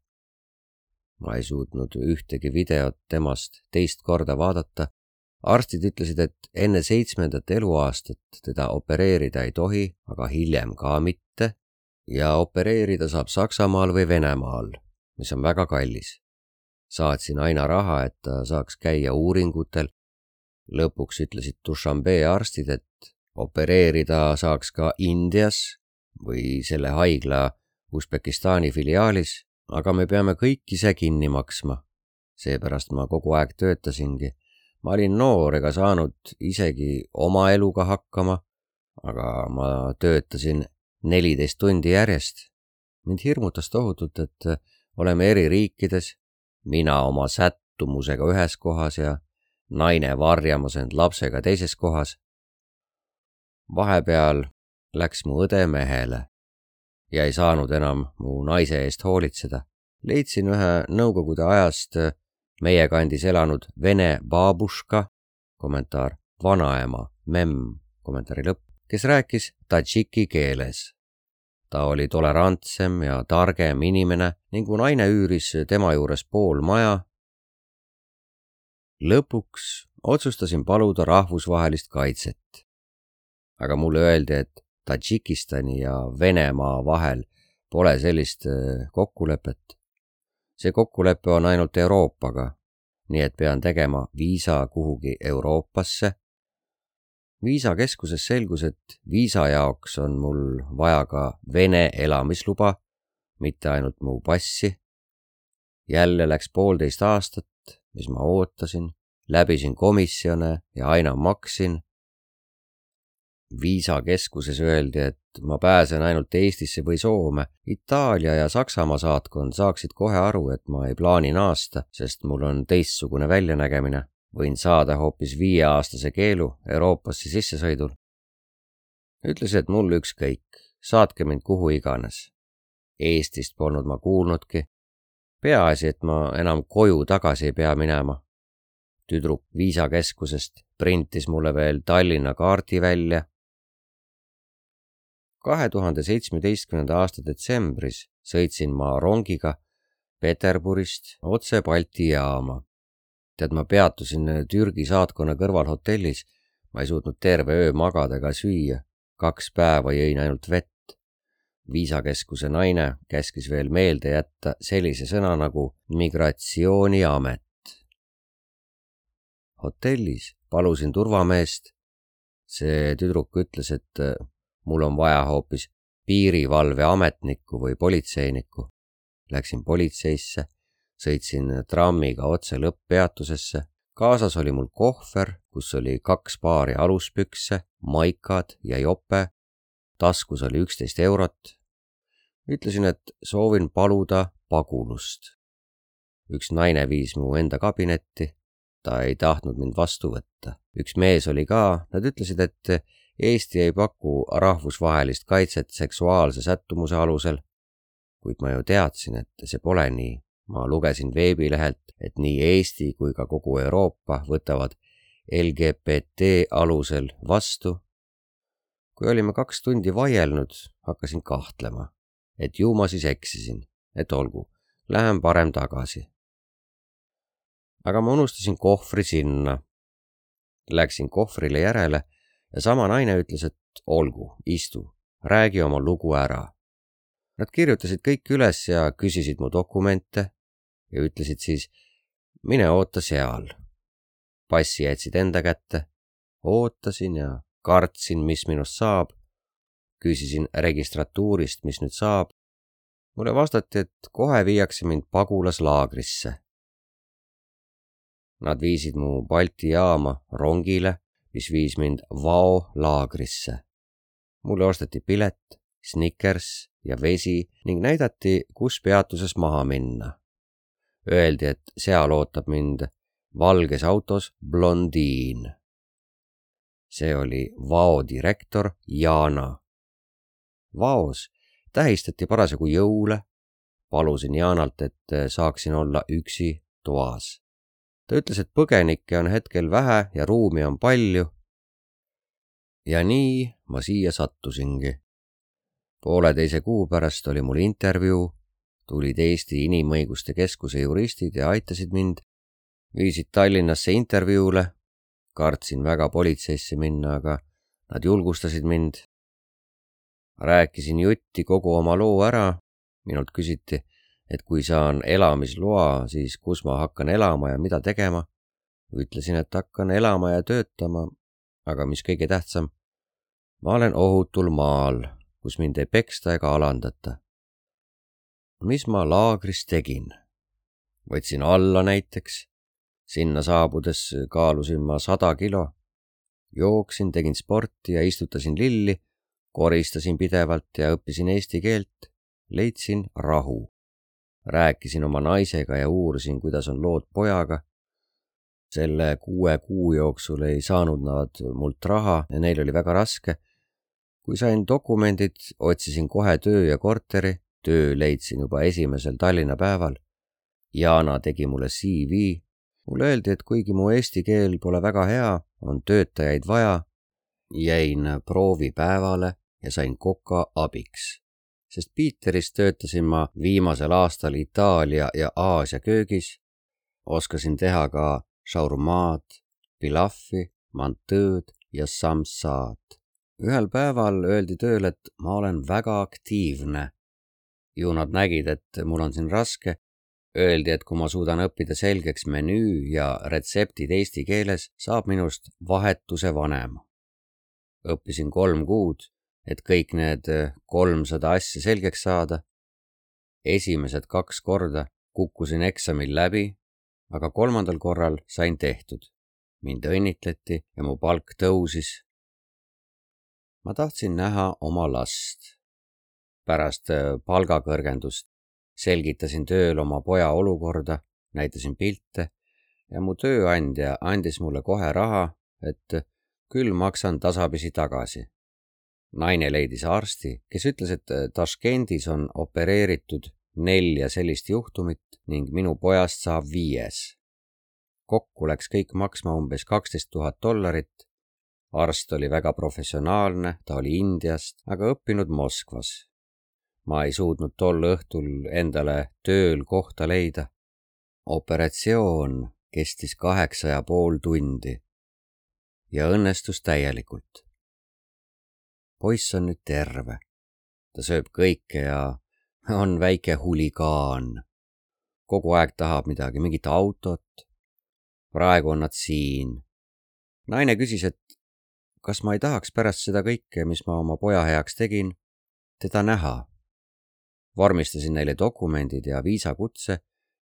Ma ei suutnud ühtegi videot temast teist korda vaadata. Arstid ütlesid, et enne seitsmendat eluaastat teda opereerida ei tohi, aga hiljem ka mitte. Ja opereerida saab Saksamaal või Venemaal, mis on väga kallis. Saatsin aina raha, et ta saaks käia uuringutel. Lõpuks ütlesid Dušanbe arstid, et opereerida saaks ka Indias või selle haigla Usbekistani filiaalis, aga me peame kõik ise kinni maksma. Seepärast ma kogu aeg töötasingi. Ma olin noor ega saanud isegi oma eluga hakkama, aga ma töötasin neliteist tundi järjest. Mind hirmutas tohutult, et oleme eri riikides, mina oma sättumusega ühes kohas ja naine varjamas end lapsega teises kohas. Vahepeal läks mu õde mehele ja ei saanud enam mu naise eest hoolitseda. Leidsin ühe nõukogude ajast meie kandis elanud vene baabuška, kommentaar vanaema, memm, kommentaari lõpp, kes rääkis tadžiki keeles. Ta oli tolerantsem ja targem inimene ning mu naine üüris tema juures pool maja. Lõpuks otsustasin paluda rahvusvahelist kaitset. Aga mulle öeldi, et Tadžikistani ja Venemaa vahel pole sellist kokkulepet. See kokkulepe on ainult Euroopaga, nii et pean tegema viisa kuhugi Euroopasse. Viisakeskuses selgus, et viisa jaoks on mul vaja ka Vene elamisluba, mitte ainult mu passi. Jälle läks poolteist aastat, mis ma ootasin, läbisin komisjone ja aina maksin. Viisakeskuses öeldi, et ma pääsen ainult Eestisse või Soome. Itaalia ja Saksamaa saatkond saaksid kohe aru, et ma ei plaani naasta, sest mul on teistsugune väljanägemine. Võin saada hoopis viieaastase keelu Euroopasse sissesõidul. Ütlesin, et mul ükskõik, saatke mind kuhu iganes. Eestist polnud ma kuulnudki. Peaasi, et ma enam koju tagasi ei pea minema. Tüdruk viisakeskusest printis mulle veel Tallinna kaardi välja. kahe tuhande seitsmeteistkümnenda aasta detsembris sõitsin ma rongiga Peterburist otse Balti jaama. Tead, ma peatusin Türgi saatkonna kõrval hotellis. Ma ei suutnud terve öö magada ega süüa. Kaks päeva jõin ainult vett. Viisakeskuse naine käskis veel meelde jätta sellise sõna nagu migratsiooniamet. Hotellis palusin turvameest. See tüdruk ütles, et mul on vaja hoopis piirivalveametnikku või politseinikku. Läksin politseisse, sõitsin trammiga otse lõpppeatusesse. Kaasas oli mul kohver, kus oli kaks paari aluspükse, maikad ja jope. Taskus oli üksteist eurot. Ütlesin, et soovin paluda pagulust. Üks naine viis mu enda kabinetti. Ta ei tahtnud mind vastu võtta. Üks mees oli ka. Nad ütlesid, et Eesti ei paku rahvusvahelist kaitset seksuaalse sättumuse alusel. Kuid ma ju teadsin, et see pole nii. Ma lugesin veebilehelt, et nii Eesti kui ka kogu Euroopa võtavad L G B T alusel vastu. Kui olime kaks tundi vaielnud, hakkasin kahtlema, et ju ma siis eksisin, et olgu, lähen parem tagasi. Aga ma unustasin kohvri sinna. Läksin kohvrile järele ja sama naine ütles, et olgu, istu, räägi oma lugu ära. Nad kirjutasid kõik üles ja küsisid mu dokumente ja ütlesid siis, mine oota seal. Passi jätsid enda kätte. Ootasin ja kartsin, mis minust saab. Küsisin registratuurist, mis nüüd saab. Mulle vastati, et kohe viiakse mind pagulaslaagrisse. Nad viisid mu Balti jaama rongile, mis viis mind Vao laagrisse. Mulle osteti pilet, Snickers ja vesi ning näidati, kus peatuses maha minna. Öeldi, et seal ootab mind valges autos blondiin. See oli Vao direktor Jana. Vaos tähistati parasjagu jõule. Palusin Janalt, et saaksin olla üksi toas. Ta ütles, et põgenikke on hetkel vähe ja ruumi on palju. Ja nii ma siia sattusingi. Pooleteise kuu pärast oli mul intervjuu, tulid Eesti Inimõiguste Keskuse juristid ja aitasid mind. Viisid Tallinnasse intervjuule. Kartsin väga politseisse minna, aga nad julgustasid mind. Rääkisin jutti kogu oma loo ära. Minult küsiti, et kui saan elamisloa, siis kus ma hakkan elama ja mida tegema. Ütlesin, et hakkan elama ja töötama, aga mis kõige tähtsam, ma olen ohutul maal, kus mind ei peksta ega alandata. Mis ma laagris tegin? Võtsin alla näiteks. Sinna saabudes kaalusin ma sada kilo. Jooksin, tegin sporti ja istutasin lilli, koristasin pidevalt ja õppisin eesti keelt. Leidsin rahu. Rääkisin oma naisega ja uurisin, kuidas on lood pojaga. Selle kuue kuu jooksul ei saanud nad mult raha ja neil oli väga raske. Kui sain dokumendid, otsisin kohe töö ja korteri. töö leidsin juba esimesel Tallinna päeval. Jana tegi mulle C V. Mulle öeldi, et kuigi mu eesti keel pole väga hea, on töötajaid vaja. Jäin proovipäevale ja sain koka abiks. Sest Piiteris töötasin ma viimasel aastal Itaalia ja Aasia köögis. Oskasin teha ka shaurmaad, pilaffi, mantõõd ja samsaad. Ühel päeval öeldi tööl, et ma olen väga aktiivne. Ju nad nägid, et mul on siin raske. Öeldi, et kui ma suudan õppida selgeks menüü ja retseptid eesti keeles, saab minust vahetuse vanem. Õppisin kolm kuud, et kõik need kolmsada asja selgeks saada. Esimesed kaks korda kukkusin eksamil läbi, aga kolmandal korral sain tehtud. Mind õnnitleti ja mu palk tõusis. Ma tahtsin näha oma last. Pärast palgakõrgendust selgitasin tööl oma poja olukorda, näitasin pilte ja mu tööandja andis mulle kohe raha, et küll maksan tasapisi tagasi. Naine leidis arsti, kes ütles, et Taškendis on opereeritud nelja sellist juhtumit ning minu pojast saab viies. Kokku läks kõik maksma umbes kaksteist tuhat dollarit. Arst oli väga professionaalne, ta oli Indiast, aga õppinud Moskvas. Ma ei suutnud tol õhtul endale tööl kohta leida. Operatsioon kestis kaheksa ja pool tundi ja õnnestus täielikult. Poiss on nüüd terve. Ta sööb kõike ja on väike huligaan. Kogu aeg tahab midagi, mingit autot. Praegu on nad siin. Naine küsis, et kas ma ei tahaks pärast seda kõike, mis ma oma poja heaks tegin, teda näha. Vormistasin neile dokumendid ja viisakutse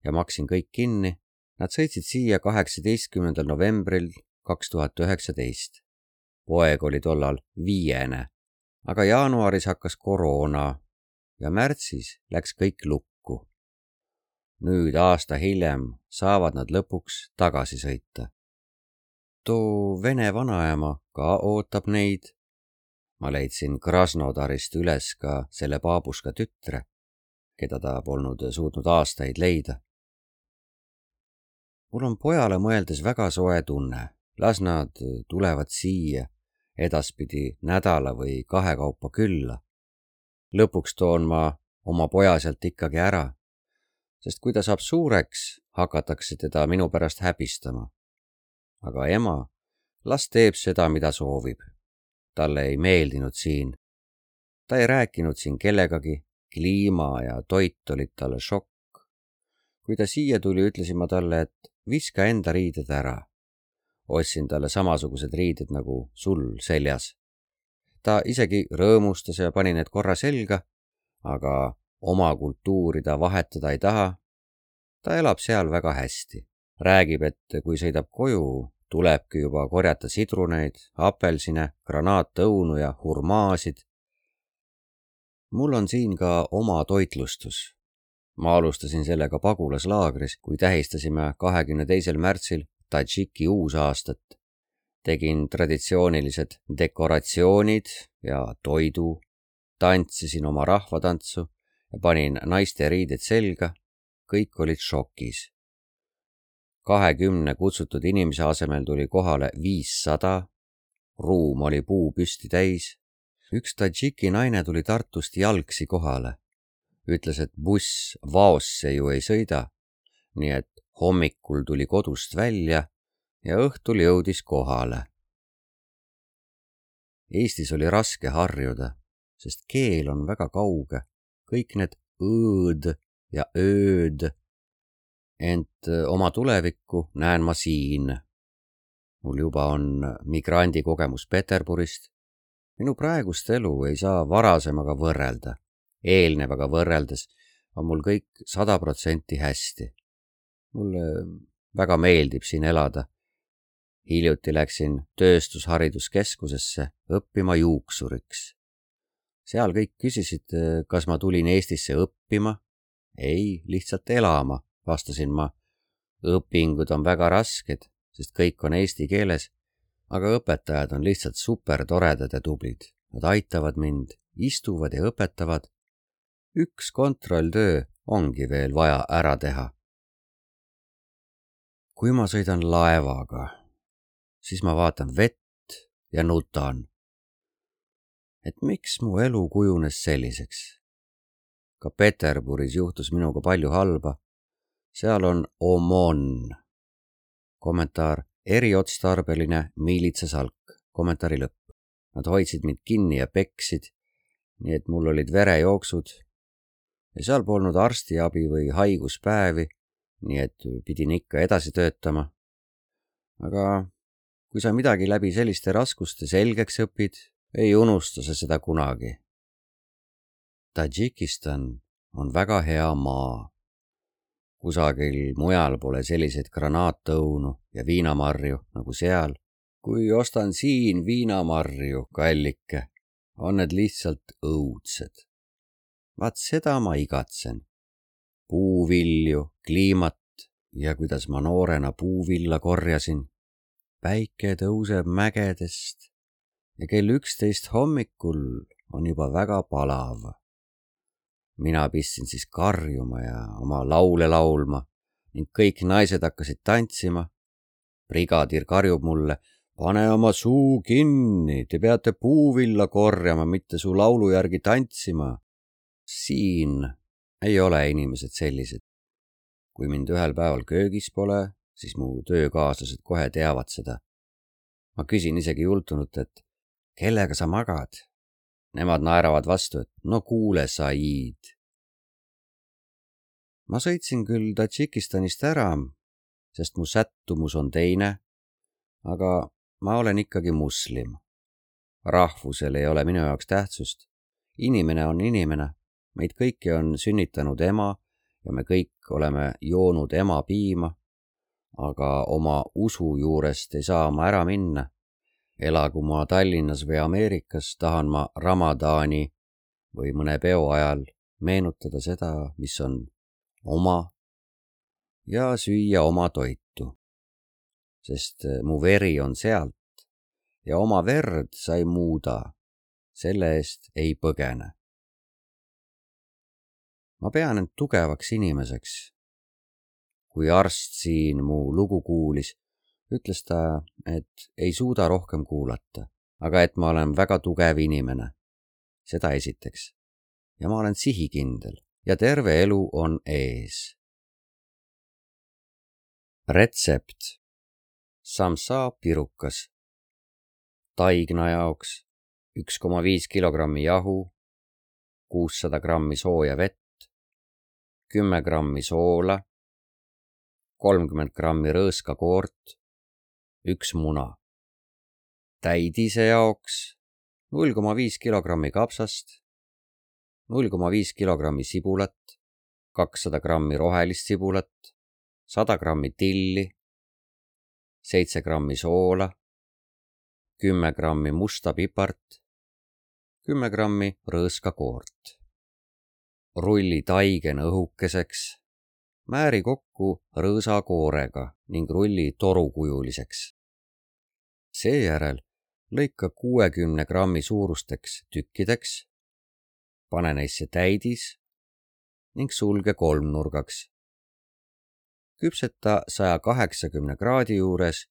ja maksin kõik kinni. Nad sõitsid siia kaheksateistkümnendal novembril kaks tuhat üheksateist. Poeg oli tollal viiene, aga jaanuaris hakkas koroona ja märtsis läks kõik lukku. Nüüd aasta hiljem saavad nad lõpuks tagasi sõita. Too vene vanaema ka ootab neid. Ma leidsin Krasnodarist üles ka selle baabuska tütre, keda ta polnud suutnud aastaid leida. Mul on pojale mõeldes väga soe tunne. Las nad tulevad siia edaspidi nädala või kahe kaupa külla. Lõpuks toon ma oma poja sealt ikkagi ära, sest kui ta saab suureks, hakatakse teda minu pärast häbistama. Aga ema, las teeb seda, mida soovib. Talle ei meeldinud siin. Ta ei rääkinud siin kellegagi, kliima ja toit olid talle šokk. Kui ta siia tuli, ütlesin ma talle, et viska enda riided ära. Ostsin talle samasugused riided nagu sul seljas. Ta isegi rõõmustas ja pani need korra selga, aga oma kultuuri ta vahetada ei taha. Ta elab seal väga hästi. Räägib, et kui sõidab koju, tulebki juba korjata sidruneid, apelsine, granaatõunu ja hurmaasid. Mul on siin ka oma toitlustus. Ma alustasin sellega pagulaslaagris, kui tähistasime kahekümne teisel märtsil Tadžiki uusaastat. Tegin traditsioonilised dekoratsioonid ja toidu, tantsisin oma rahvatantsu ja panin naiste riided selga. Kõik olid šokis. kahekümne kutsutud inimese asemel tuli kohale viissada. Ruum oli puu püsti täis. Üks Tadžiki naine tuli Tartust jalgsi kohale. Ütles, et buss Vaosse ju ei sõida, nii et hommikul tuli kodust välja ja õhtul jõudis kohale. Eestis oli raske harjuda, sest keel on väga kauge. Kõik need õõd ja ööd. Ent oma tulevikku näen ma siin. Mul juba on migrandi kogemus Peterburist. Minu praegust elu ei saa varasemaga võrrelda. Eelnevaga võrreldes on mul kõik sada protsenti hästi. Mulle väga meeldib siin elada. Hiljuti läksin tööstushariduskeskusesse õppima juuksuriks. Seal kõik küsisid, kas ma tulin Eestisse õppima. Ei, lihtsalt elama, vastasin ma. Õpingud on väga rasked, sest kõik on eesti keeles, aga õpetajad on lihtsalt super toredad ja tublid. Nad aitavad mind, istuvad ja õpetavad. üks kontrolltöö ongi veel vaja ära teha. Kui ma sõidan laevaga, siis ma vaatan vett ja nutan, et miks mu elu kujunes selliseks. Ka Peterburis juhtus minuga palju halba. Seal on OMON. Kommentaar eriotstarbeline miilitsasalk. Kommentaari lõpp. Nad hoidsid mind kinni ja peksid, nii et mul olid verejooksud ja seal polnud arstiabi või haiguspäevi, nii et pidin ikka edasi töötama. Aga kui sa midagi läbi selliste raskuste selgeks õpid, ei unusta sa seda kunagi. Tadžikistan on väga hea maa. Kusagil mujal pole selliseid granaatõunu ja viinamarju nagu seal. Kui ostan siin viinamarju, kallike, on need lihtsalt õudsed. Vaat seda ma igatsen. Puuvilju, kliimat ja kuidas ma noorena puuvilla korjasin. Päike tõuseb mägedest ja kell üksteist hommikul on juba väga palav. Mina pistsin siis karjuma ja oma laule laulma ning kõik naised hakkasid tantsima. Brigadir karjub mulle, pane oma suu kinni, te peate puuvilla korjama, mitte su laulu järgi tantsima. Siin ei ole inimesed sellised. Kui mind ühel päeval köögis pole, siis mu töökaaslased kohe teavad seda. Ma küsin isegi jultunult, et kellega sa magad? Nemad naeravad vastu, et no kuule, Said. Ma sõitsin küll Tadžikistanist ära, sest mu sättumus on teine, aga ma olen ikkagi muslim. Rahvusel ei ole minu jaoks tähtsust. Inimene on inimene. Meid kõiki on sünnitanud ema ja me kõik oleme joonud ema piima, aga oma usu juurest ei saa ma ära minna. Elagu ma Tallinnas või Ameerikas, tahan ma Ramadani või mõne peo ajal meenutada seda, mis on oma ja süüa oma toitu. Sest mu veri on sealt ja oma verd sa ei muuda, selle eest ei põgene. Ma pean end tugevaks inimeseks. Kui arst siin mu lugu kuulis, ütles ta, et ei suuda rohkem kuulata, aga et ma olen väga tugev inimene. Seda esiteks. Ja ma olen sihikindel ja terve elu on ees. Retsept. Samsa pirukas. Taigna jaoks üks koma viis kilogrammi jahu, kuussada grammi sooja vett, kümme grammi soola, kolmkümmend grammi rõõskakoort, üks muna. Täidise jaoks null koma viis kilogrammi kapsast, null koma viis kilogrammi sibulat, kakssada grammi rohelist sibulat, sada grammi tilli, seitse grammi soola, kümme grammi musta pipart, kümme grammi rõõskakoort. Rulli taigen õhukeseks, määri kokku rõõsakoorega ning rulli torukujuliseks. Seejärel lõika kuuekümne grammi suurusteks tükkideks, pane neisse täidis ning sulge kolmnurgaks. Küpseta saja kaheksakümne kraadi juures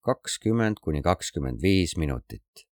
kakskümmend kuni kakskümmend viis minutit.